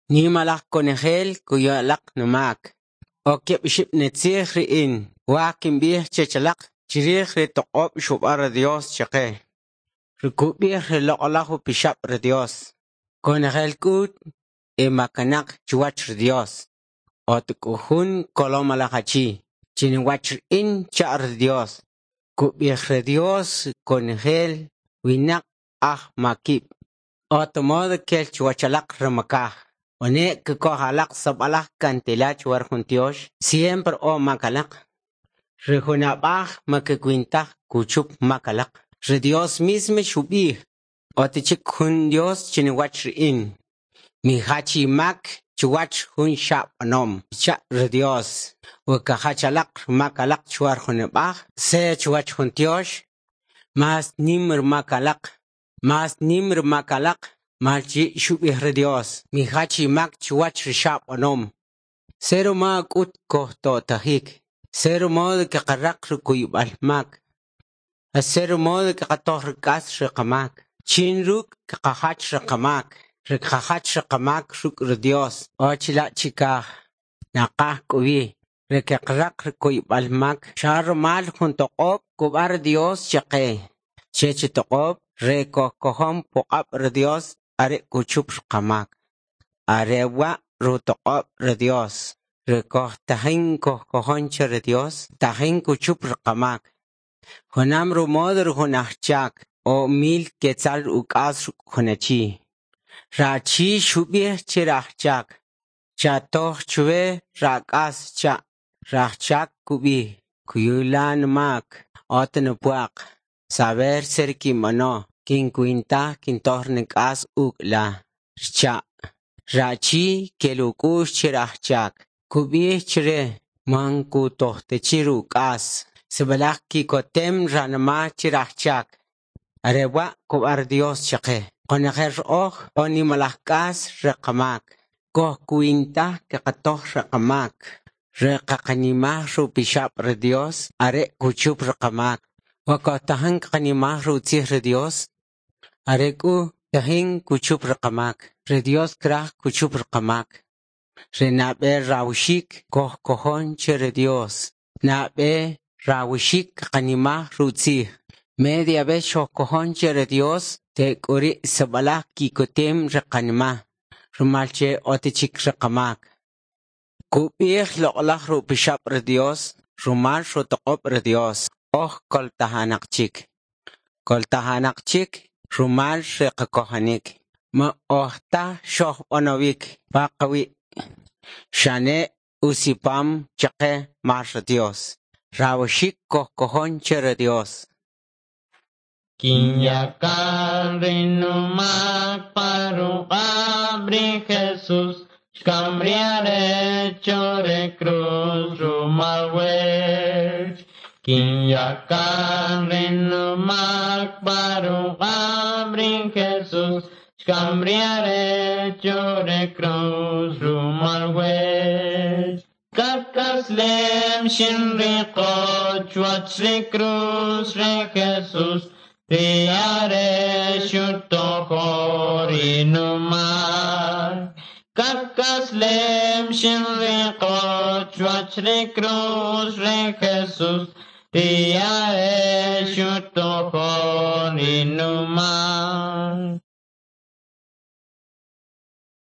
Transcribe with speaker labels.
Speaker 1: Nimalaj konojel kuyu alaq numak. O keb' ixib' nitzij ri in kwaj kimb'ij chech alaq chrij ri toq'ob' xub'an ri Dios chaqe. Ri kub'ij ri Loq'alaj Upixab' ri Dios. Konojel k'ut e makanaq chuwach ri Dios. Ot k'u jun kolomalaj achi chinuwach in cha' ri Dios. Kub'ij ri Dios konojel winaq aj makib'. Ot modo kel chuwach alaq ri makaj. Wene' kikoj alaq sib'alaj kantila chuwach jun tyox, siempre o mak alaq. Ri jun ab'aj man kakwin taj kuchup mak alaq. Ri Dios mismo xub'ij, ot chik jun Dios chinuwach ri in. Mijach imak chuwach jun xa'b'anom, xcha' ri Dios. We kajach alaq mak alaq chuwach jun ab'aj, se chuwach jun tyox, mas nim mak alaq, mas nim mak alaq, mal chi' xub'ij ri Dios, mijach imak chuwach ri xa'b'anom. Cero ma k'ut kojto'tajik, cero modo kaqaraq ri kuyb'al mak, cero modo kaqatoj ri k'as ri qamak, chin ruk' kaqajach ri qamak, ri kaqajach ri qamak ruk' ri Dios, o chila' chikaj, naqaj k'o wi, ri kaqaraq ri kuyb'al mak, xa rumal jun toq'ob' kub'an ri Dios chaqe, chech toq'ob' re kojkojon puq'ab' ri Dios are kuchup ri qamak. Are wa' rutoq'ob' ri Dios, ri kojtajin kojkojon che ri Dios, tajin kuchup ri qamak. Junam rumodo ri jun ajchak o mil quetzal uk'as jun achi. Rachi xub'ij che rajchak, chatoj chwe rak'as cha'. Rajchak kub'ij, kuyula mak, ot nupwaq. Saber ser kinb'ano, kinkwintaj kintoj nik'as uk' la. Xcha'. Rachi kel uk'u'x che rajchak. Kub'ij chre man kutojtachi ruk'as. Sib'alaj kikotem ranma' che rajchak. Are wa' kub'an Dios chaqe. Qonojel oj o nimalaj k'as re qamak. Kojkwintaj kaqatoj ri qamak. Re qaqanimaj rupixab' ri Dios are kuchup ri qamak. Wa kojtajin qanimaj rutzij ri Dios are k'u tajin kuchup ri qamak. Ri Dios kraj kuchup ri qamak. Ri nab'e rawxik kojkojon che ri Dios. Nab'e rawxik qanimaj rutzij. Media vez xojkojon che ri Dios tek'uri sib'alaj kikotem ri qanima'. Rumal che otichik ri qamak. Kub'ij loq'alaj rupixab' ri Dios, rumal rutoq'ob' ri Dios. Oj koltajanaq chik. Koltajanaq chik rumal ri qakojonik. Ma oj taj xojb'anowik pa qawi'. Xane usipam chaqe mal ri Dios. Rawxik kojkojon che ri Dios.
Speaker 2: Kinyakan rinumak paruqab ri Jesús, xkamriare chore cruz rumal wech. Kinyakan rinumak paruqab ri Jesús, xkamriare chore cruz rumal wech. Kakaslem shinriqo chuach ri cruz ri Jesús, Riare shutojo rinumak. Kakaslem shinriqo chuach ri cruz ri Jesús, Riare shutojo rinumak.